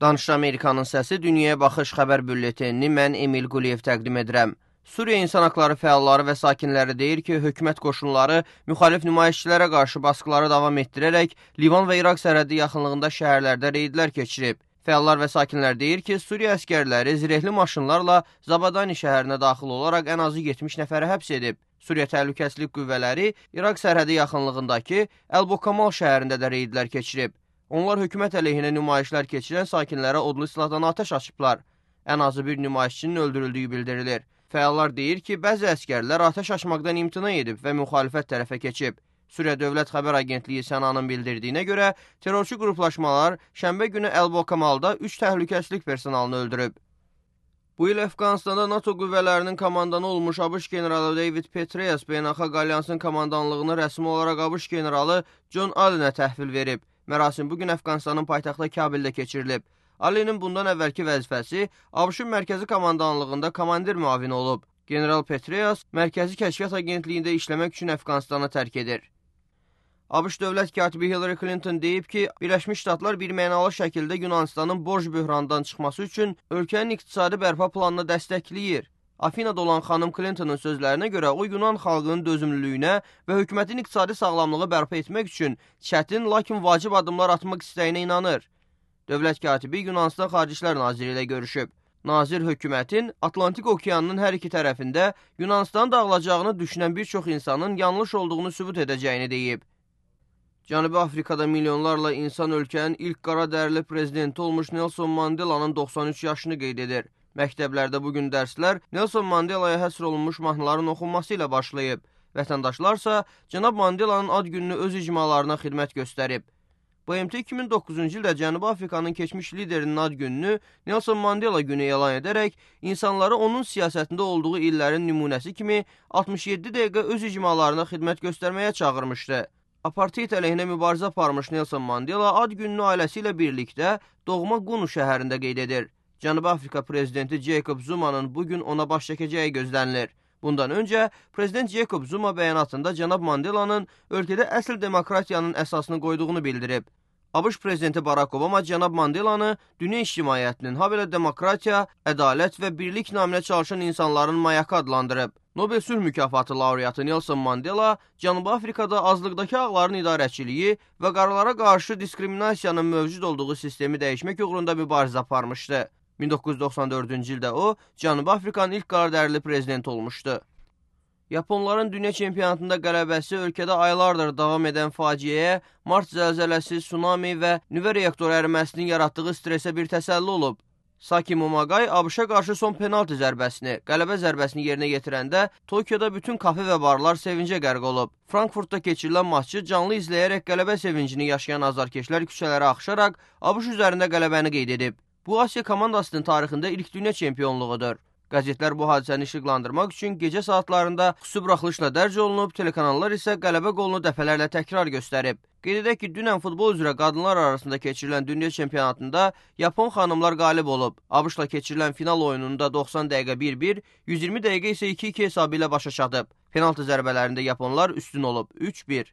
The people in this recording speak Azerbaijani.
Danışıq Amerikanın səsi Dünyaya Baxış xəbər bülletenini mən Emil Quliyev təqdim edirəm. Suriya İnsan Haqları fəalları və sakinləri deyir ki, hökumət qoşunları müxalif nümayişçilərə qarşı baskıları davam etdirərək Livan və İraq sərhəddi yaxınlığında şəhərlərdə reydlər keçirib. Fəallar və sakinlər deyir ki, Suriya əskərləri zirehli maşınlarla Zabadani şəhərinə daxil olaraq ən azı 70 nəfəri həbs edib. Suriya Təhlükəsizlik Qüvvələri İraq sərhədi yaxınlığındakı Əl-Bokamal şəhərində də reydlər keçirib. Onlar hökumət əleyhinə nümayişlər keçirən sakinlərə odlu silahdan atəş açıblar. Ən azı bir nümayişçinin öldürüldüyü bildirilir. Fəallar deyir ki, bəzi əskərlər atəş açmaqdan imtina edib və müxalifət tərəfə keçib. Suriya Dövlət Xəbər Agentliyi Sənanın bildirdiyinə görə, terrorçu qruplaşmalar şənbə günü Əl-Bokamalda 3 təhlükəsizlik personalını öldürüb. Bu il Əfqanistanda NATO qüvvələrinin komandanı olmuş ABŞ generalı David Petraeus Beynəlxalq Alyansın komandanlığını rəsmi olaraq ABŞ generalı John Allenə təhvil verib. Mərasim bugün Əfqanistanın paytaxtı Kabildə keçirilib. Allen'in bundan əvvəlki vəzifəsi ABŞ-ın mərkəzi komandanlığında komandir müavini olub. General Petraeus Mərkəzi Kəşfiyyat Agentliyində işləmək üçün Əfqanistanı tərk edir. ABŞ dövlət katibi Hillary Clinton deyib ki, Birləşmiş Ştatlar birmənalı şəkildə Yunanistanın borc böhranından çıxması üçün ölkənin iqtisadi bərpa planını dəstəkləyir. Afinada olan xanım Clinton'ın sözlərinə görə o Yunan xalqının dözümlülüyünə və hökumətin iqtisadi sağlamlığı bərpa etmək üçün çətin, lakin vacib addımlar atmaq istəyinə inanır. Dövlət katibi Yunanistan Xarici İşlər Naziri ilə görüşüb. Nazir hökumətin Atlantik Okeanının hər iki tərəfində Yunanistan dağılacağını düşünən bir çox insanın yanlış olduğunu sübut edəcəyini deyib. Cənubi Afrikada milyonlarla insan ölkənin ilk qara dərili prezidenti olmuş Nelson Mandela'nın 93 yaşını qeyd edir. Məktəblərdə bugün dərslər Nelson Mandela'ya həsr olunmuş mahnıların oxunması ilə başlayıb. Vətəndaşlarsa Cənab Mandela'nın ad gününü öz icmalarına xidmət göstərib. BMT 2009-cu ildə Cənubi Afrikanın keçmiş liderinin ad gününü Nelson Mandela günü elan edərək insanları onun siyasətində olduğu illərin nümunəsi kimi 67 dəqiqə öz icmalarına xidmət göstərməyə çağırmışdı. Apartheid əleyhinə mübarizə aparmış Nelson Mandela ad gününü ailəsi ilə birlikdə doğma Qunu şəhərində qeyd edir. Cənubi Afrika prezidenti Jacob Zuma'nın bugün ona baş çəkəcəyi gözlənilir. Bundan öncə prezident Jacob Zuma bəyanatında Cənab Mandela'nın ölkədə əsl demokratiyanın əsasını qoyduğunu bildirib. ABŞ prezidenti Barack Obama Cənab Mandela'nı dünya ictimaiyyətinin, habelə demokratiya, ədalət və birlik naminə çalışan insanların mayakı adlandırıb. Nobel Sülh Mükafatı laureatı Nelson Mandela Cənubi Afrikada azlıqdakı ağların idarəçiliyi və qaralara qarşı diskriminasiyanın mövcud olduğu sistemi dəyişmək uğrunda mübarizə aparmışdı. 1994-cü ildə o, Cənubi Afrikanın ilk qaradərili prezidenti olmuşdu. Yaponların dünya çempionatında qələbəsi ölkədə aylardır davam edən faciəyə, Mart zəlzələsi, tsunami və nüvə reaktoru əriməsinin yaratdığı stresə bir təsəlli olub. Saki Momagai ABŞ-a qarşı son penalti zərbəsini, qələbə zərbəsini yerinə yetirəndə Tokyoda bütün kafe və barlar sevincə qərq olub. Frankfurtda keçirilən maçı canlı izləyərək qələbə sevincini yaşayan azarkeşlər küçələrə axışaraq ABŞ üzərində qələbəni qeyd edib. Bu, Asiya komandasının tarixində ilk dünya çempionluğudur. Qəzetlər bu hadisəni işıqlandırmaq üçün gecə saatlarında xüsusi buraxılışla dərc olunub, telekanallar isə qələbə qolunu dəfələrlə təkrar göstərib. Qeyd edək ki, dünən futbol üzrə qadınlar arasında keçirilən dünya çempionatında Yapon xanımlar qalib olub. ABŞ-la keçirilən final oyununda 90 dəqiqə 1-1, 120 dəqiqə isə 2-2 hesabı ilə başa çatıb. Penaltı zərbələrində Yaponlar üstün olub 3-1.